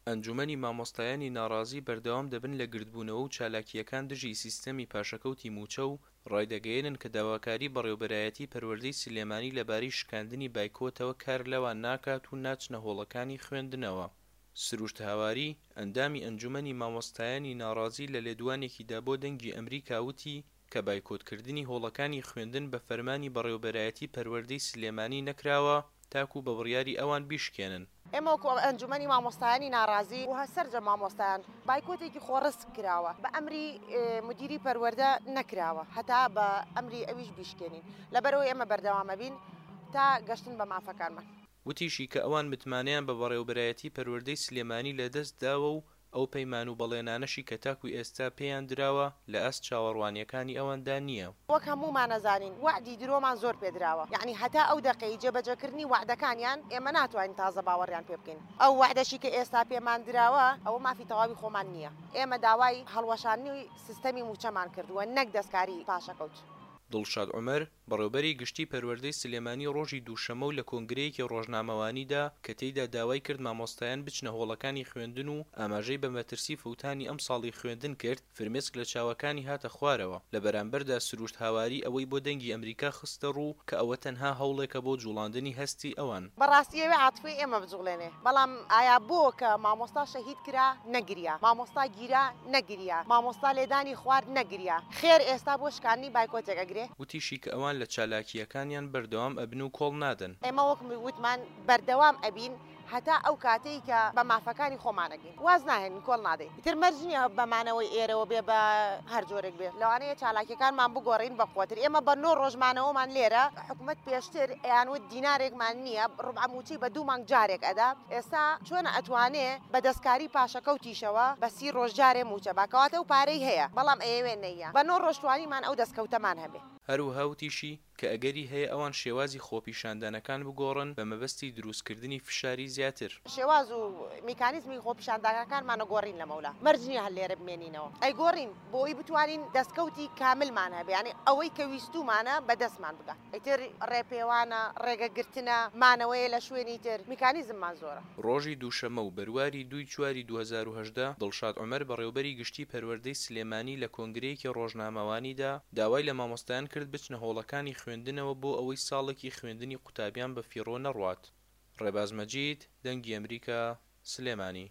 ئەنجومەنی مامۆستایانی ناڕازی بەردەوام دەبن لە گردبوونەوە و چالاکییەکان دژی سیستەمی پاشەکەوتی مووچە و ڕایدەگەیەنن کە داواکاری بەڕێوبەرایەتی پەروەردەی سلێمانی لەبارەی شکاندنی بایکۆتەوە کار لەوان ناکات و ناچنە هۆڵەکانی خوێندنەوە. سروشت هاواری، ئەندامی ئەنجومەنی مامۆستایانی ناڕازی لە لێدوانێکیدا بۆ دەنگی ئەمریکا وتی کە بایکۆتکردنی هۆڵەکانی خوێندن بە فەرمانی بەڕێوبەرایەتی پەروەردەی سلێمانی نەکراوە تاکو بە بڕیاری ئەوان بیشکێنن. ئێمە وەکو ئەنجومەنی مامۆستایانی ناڕازی و سەرجەم مامۆستایان بایکۆتێکی خۆڕسک کراوە بە ئەمری مدیری پەروەردە نەکراوە هەتا بە ئەمری ئەویش بیشکێنین لەبەرئەوەی ئێمە بەردەوام ئەبین تا گەشتن بە مافەکانمان. وتیشی کە ئەوان متمانەیان بە بەڕێوبەرایەتی پەروەردەی سلێمانی لەدەست داوە و ئەو پەیمان و بەڵێنانەشی کە تاکو ئێستا پێیان دراوە لە ئاست چاوەڕوانییەکانی ئەواندا نییە. وەک هەموومان ئەزانین وەعدی درۆمان زۆر پێ دراوە، یەعنی هەتا ئەو دەقەی جێبەجێکردنی وەعدەکانیان ئێمە ناتوانین تازە باوەڕیان پێ بکەین. ئەو وەعدەشی کە ئێستا پێمان دراوە ئەوە مافی تەواوی خۆمان نییە. ئێمە داوای هەڵوەشاندنی سیستەمی مووچەمان کردووە نەک دەستکاری پاشەکەوت. دڵشاد عومەر، بەڕێوبەری گشتی پەروەردەی سلێمانی ڕۆژی دووشەممە و لە کۆنگرەیەکی ڕۆژنامەوانیدا کە تێیدا داوای کرد مامۆستایان بچنە هۆڵەکانی خوێندن و ئاماژەی بە مەترسی فەوتانی ئەمساڵی خوێندن کرد، فرمێسک لە چاوەکانی هاتە خوارەوە، لە بەرامبەردا سروشت هاواری ئەوەی بۆ دەنگی ئەمریکا خستە ڕوو کە ئەوە تەنها هەوڵێکە بۆ جوڵاندنی هەستی ئەوان. بەڕاستی ئەوێ عاتفەی ئێمە بجوڵێنێ، بەڵام ئایا بۆ کە مامۆستا شەهید کرا نەگریا، مامۆستا گیرا نەگریا، مامۆستا لێدانی خوارد نەگریا، خێر ئێستا بۆ شکاندنی بایکۆتێک ئەگرێ؟ وتیشی کە ئەوان لە چالاکییەکانیان بەردەوام ئەبن و کۆڵ نادەن. ئێمە وەک وتمان بەردەوام ئەبین هەتا ئەو کاتەی کە بە مافەکانی خۆمان ئەگەین. واز ناهێنین، کۆڵ نادەین. ئیتر مەرج نییە بە مانەوەی ئێرەوە بێ بە هەر جۆرێک بێ. لەوانەیە چالاکییەکانمان بگۆڕین بە قوەتر. ئێمە بە نۆ ڕۆژ مانەوەمان لێرە، حکومەت پێشتر ئەیانوت دینارێکمان نییە، ڕوبعە مووچەی بە دوو مانگ جارێک ئەدا. ئێستا چۆن ئەتوانێ بە دەستکاری پاشەکەوتیشەوە بە سی ڕۆژ جارێ مووچە با؟ کەواتە ئەو پارەی هەیە، بەڵام ئەیەوێ نەییا. بە نۆ ڕۆژ توانیمان ئەو دەستکەوتەمان هەبێ. هەروەها وتیشی، کە ئەگەری هەیە ئەوان شێوازی خۆپیشاندانەکان بگۆڕن بە مەبەستی دروستکردنی فشاری زیاتر. شێواز و میکانیزمی خۆپیشاندانەکانمان ئەگۆڕین لەمەولا، مەرج نییە هەر لێرە بمێنینەوە، ئەیگۆڕین بۆ ئەوەی بتوانین دەستکەوتی کاملمان هەبێ، یانی ئەوەی کە ویستوومانە بە دەستمان بگا. ئیتر ڕێپێوانە، ڕێگەگرتنە، مانەوەیە لە شوێنی تر، میکانیزممان زۆرە. ڕۆژی دووشەممە و بەرواری دووی چواری 2018، دڵشاد عومەر بەڕێوبەری گشتی پەروەردەی سلێمانی لە کۆنگرەیەکی ڕۆژنامەوانیدا داوای لە مامۆستایان کرد بچنە هۆڵەکانی خوێندنەوە بۆ ئەوەی ساڵێکی خوێندنی قوتابیان بە فیڕۆ نەڕوات. ڕێباز مەجید، دەنگی ئەمریکا، سلێمانی.